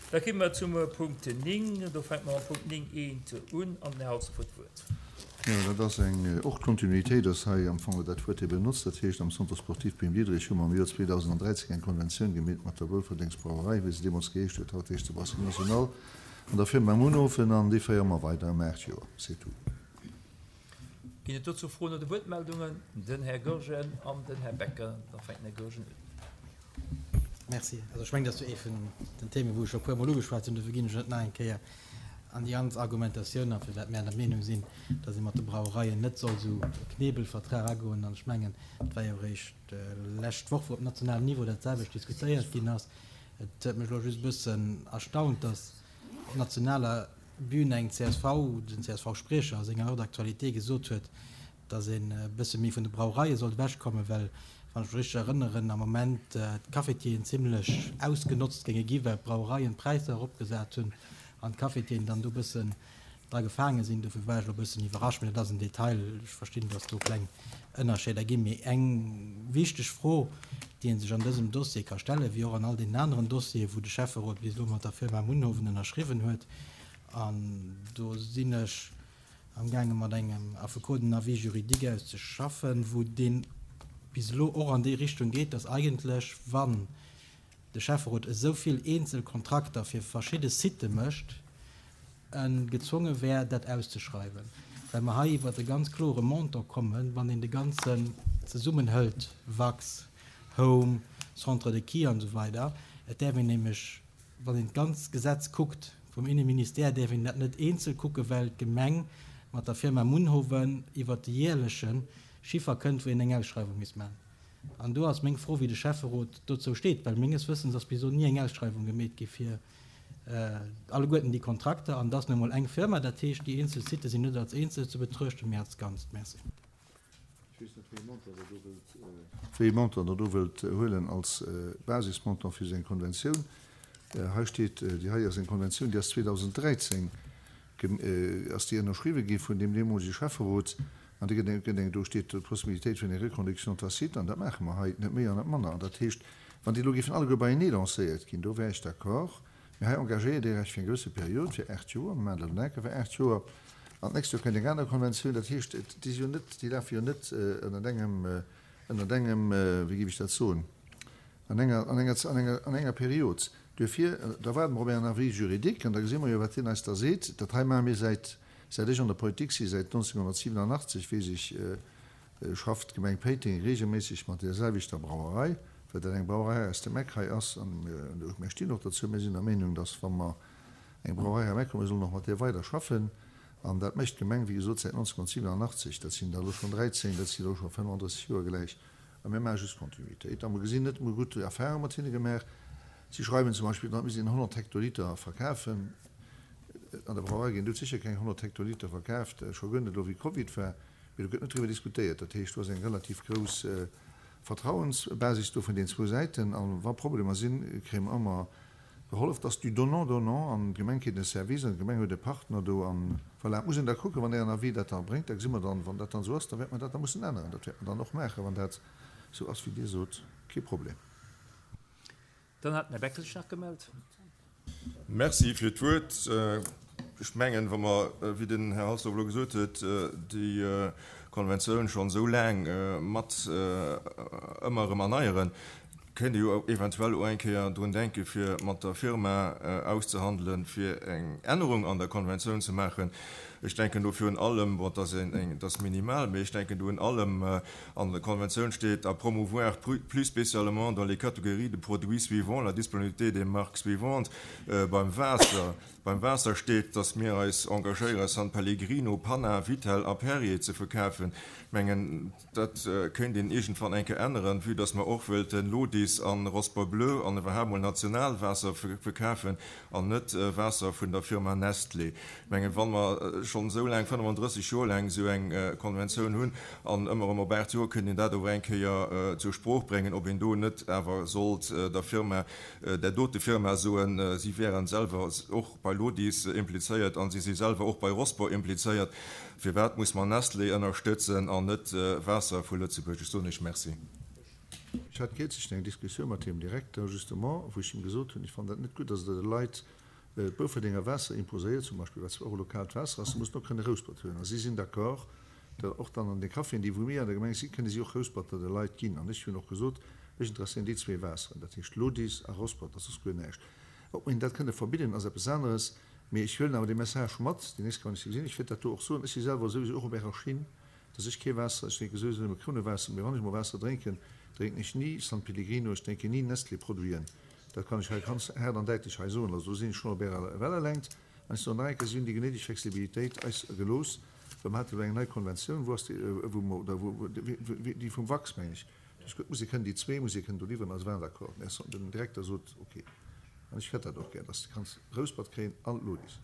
Da komme mer zum Punkt 9. Do fänke mer mam Punkt 9 eent un an den Här Halsdorf huet d'Wuert. Jo, dat ass eng, och d'Kontinuitéit ass hei am Fong dat Wuert, dee benotzt. Dat heescht, am Centre sportif Pim Diederich hu mer am Joer 2013 eng Konventioun gemeet mat der Wulferdengsbrauerei, wéi se deemools geheescht huet, haut heescht se Brasserie Nationale, an der Firma Munhofen, an déi féiere mer weider ëm 8 Joer. C'est tout. Ginn et dozou Froen oder Wuertmeldungen? Den Här Goergen an den Här Becker. Da fänkt den Här Goergen un. Merci. Also ech mengen, dat ass jo ee vun den Themen, wou ech scho e puermol ugeschwat hunn. Dofir ginn ech net nach eng Kéier an déi ganz Argumentatioun an, firwat mir der Meenung sinn, datt ee mat de Brauereien net soll esou e Knebelvertrag agoen. An ech mengen, et war jo eréischt d'lescht Woch, wou op nationalem Niveau dat selwecht diskutéiert ginn ass. Et huet mech elo just e bëssen erstaunt, datt op nationaler Bühn eng csv, den CSV-Spriecher a senger Heure d'actualité gesot huet, datt een e bësse méi vun de Brauereie sollt ewechkommen, well, wann ech mech richteg erënneren, am Moment d'Cafetieren zimlech ausgenotzt géinge gi well d'Brauereien d'Präisser eropgesat hunn an d'Cafetieren dann do e bëssen dra gefaange sinn. Dofir war ech elo e bëssen iwwerrascht, mee dat ass en Detail. Ech verstinn, datt do kleng Ënnerscheeder ginn. Mee eng wichteg Fro, déi ee sech an dësem Dossier ka stellen, wéi och an all deenen aneren Dossieren, wou de Schäfferot bis elo mat der Firma Munhowen ënnerschriwwen huet, an do sinn ech amgaange mat engem Affekot en Avis juridique auszeschaffen, wou deen bis elo och an déi Richtung geet, dass eigentlech, wann de Schäfferot esou vill eenzel Kontrakter fir verschidde Sitë mécht, e gezwonge wär, dat auszeschreiwen, well mer hei iwwert e ganz klore Montant kommen, wann een de Ganzen zesummenhëlt, Wax, Home, Centre de Ski an esou weider. Et däerf een nämlech Wann een d'ganz Gesetz kuckt vum Inneministère, däerf een dat net eenzel kucken, well d'Gemeng mat der Firma Munhowen iwwert de jäerleche Chiffer kënnt, wou een eng Ausschreiwung misst maachen. An do ass meng Fro, wéi de Schäfferot dozou steet, well menges Wëssens ass bis elo ni eng Ausschreiwung gemeet gi fir alleguerten déi Kontrakter. An et ass nu emol eng Firma, dat heescht, déi eenzel Sitë sinn net als eenzel ze betruechten, mee als Ganzt. Merci. Ech weess net, wéi ee Montant Der do wëllt, wéi ee Montant Der do wëllt huelen als Basismontant fir esou eng Konventioun. Hei steet, déi hei ass eng Konventioun, déi ass 2013 ass déi ënnerschriwwen gi vun deem deemolege Schäfferot an déi gëtt eng, gëtt eng, do steet d'Possibilitéit vun enger Reconduction tacite an dat maache mer hei, net méi an net manner. An dat heescht, wann déi elo géifen alleguer beienee lancéiert ginn, do wär ech d'accord. Mee hei engagéiert Dir Iech fir eng gewësse Period, fir 8 Joer, mir maachen dat elo enke fir 8 Joer, an d'nächst Joer kënnt eng aner Konventioun. Dat heescht, déi si jo net, déi lafe jo net ënnert engem, ënnert engem, wéi géif ech dat soen, an enger, an enger, an enger, an enger Period. Duerfir, da waarde mer op Ären Avis juridique an da gesi mer jo, wat deen eis da seet. Dat hei maache mir säit, säit ech an der Politik si, säit 1987, weess ech, schafft d'Gemeng Péiteng reegelméisseg mat där selwechter Brauerei, well dat eng Brauerei aus dem Eck hei ass. An mir stinn och dozou, mir sinn der Meenung, dass wa mer eng Brauerei am Eck hunn, mir sollen och mat där weider schaffen. An dat mécht d'Gemeng, wéi gesot, säit 1987. Dat sinn der elo schonn 13, dat sinn elo scho 35 Joer gläich. A mir maache just Kontinuitéit. A mer gesinn net, mir hu gutt Erfahrung mat hinne gemaach. Si schreiwen zum Beispill dran, mir sinn 100 Hektoliter verkafen. An der Brauerei ginn dout sécher keng 100 Hektoliter verkaaft, scho guer net elo wéi Covid war. Mee do gëtt net driwwer diskutéiert. Dat heescht, do ass eng relativ grouss Vertrauensbasis do vun den zwou Säiten. A wa Problemer sinn, kréie mer ëmmer gehollef. Et ass du donnant-donnant an d'Gemeng kritt e Service an d'Gemeng huet e Partner do. An voilà, et muss een da kucken, wann Ären Avis dat da bréngt, da gesi mer dann, wann dat dann esou ass, da wäerte mer dat da mussen änneren. Dat wäerte mer dann och maachen, wann dat esou ass, wéi Dir sot. Kee Problem. Dann hat den Här Beckel sech nach gemellt. Merci fir d'Wuert. Ech mengen, wa mer, wéi den Här Halsdorf elo gesot huet, déi Konventioun schonn esou laang mat ëmmer erëm erneieren, kéint ee jo eventuell och eng Kéier drun denken, fir mat der Firma auszehandelen, fir eng Ännerung an der Konventioun ze maachen. Ech denken do virun allem, bon, dat ass eng, dat ass minimal, mee ech denken do un allem, An der Konventioun steet, à promouvoir plus spécialement dans les catégories de produits suivants la disponibilité des marques suivantes. Beim Waasser, beim Waasser steet, dass mir eis engagéiere San Pellegrino, Panna, Vittel a Perrier ze verkafen. Ech mengen, dat kéint een iergendwann eng Kéier änneren, vue dass mer och wëllten Lodis a Rosport Bleu an iwwerhaapt mol national Waasser verkafen an net Waasser vun der Firma Nestlé. Ech mengen, wa mer schonn esou laang, 35 Joer laang esou eng Konventioun hunn an ëmmer erëm op 8 Joer, kënnt een dat ower eng Kéier zur Sprooch bréngen, ob een do net awer sollt der Firma, där dote Firma soen, si wären selwer och bei Lodis implizéiert an si si selwer och bei Rosport implizéiert, firwat muss mer Nestlé ënnerstëtzen an net Waasser vu Lëtzebuerg? Ech soen Iech Merci. Ech hat kierzlech eng Diskussioun mat hirem Direkter justement, wou ech him gesot hunn, ech fannen dat net gutt, dass Der de Leit d'Boufferdenger Waasser imposéiert, zum Beispill, wat zwar och e lokaalt Waasser ass, se mussen och kënne Rouspert huelen. A si sinn d'accord, datt och dann an de Caféen, déi wou mir an der Gemeng sinn, kënne si och Rousperter de Leit ginn. An ech hunn och gesot, mech interesséieren déi zwee Waasseren, dat heescht Lodis a Rospert, a soss guer näischt. Ob mer hinnen dat kënne verbidden, ass eppes aneres, mee ech huelen awer dee Message mat, déi nächst Kéier, wann ech se gesinn. Ech wäert dat do och soen. Ech si selwer souwisou och op Ärer Schinn, dass ech kee Waasser, ech drénke souwisou nëmme Krunnewaasser, mee wann ech mol Waasser drénken, drénken ech ni San Pellegrino, ech drénken ni Nestlé-Produiten. Dat kann ech hei ganz haart an däitlech hei soen. Also do sinn ech schonn op Ärer Wellelängt. An ech soen nach eng Kéier, si hunn déi genéideg Flexibilitéit eis gelooss, well mer hate elo eng nei Konventioun, wou ass déi, wou mer, oder wou, déi vum Wachs, meng ech, duerch gutt Musek kënnen déi zwee Musek kënnen do liwweren a se waren d'accord. Den Direkter sot, ok. An ech hätt dat och gär, dass de kanns Rouspert kréien an Lodis.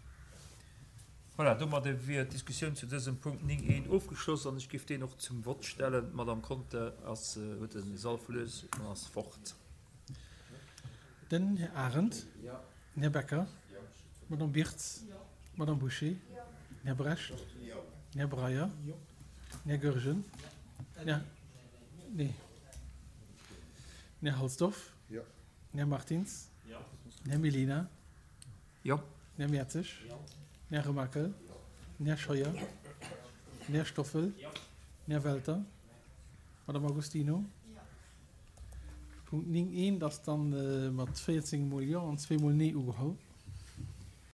Voilà, domadde wier d'Diskussioun zu dësem Punkt 9 I ofgeschloss an ech géif deen och zum Vott stellen. D'Madame Conter ass, huet de Sall verlues an ass fort. Den Här Arendt. Den Här Becker. D'Madame Birtz. D'Madame Bouché. Den Här Brecht. Den Här Breyer. Den Här Goergen. Den Här, nee, den Här Halsdorf. Den Här Martins. Den Här Mellina. Jo. Den Här Mertzig. Den Här Remakel. Den Här Scheuer. Den Här Stoffel. Den Här Welter. D'Madame Agostino. Punkt 9 eent ass dann mat 14 mol Jo an zweemol Nee ugeholl.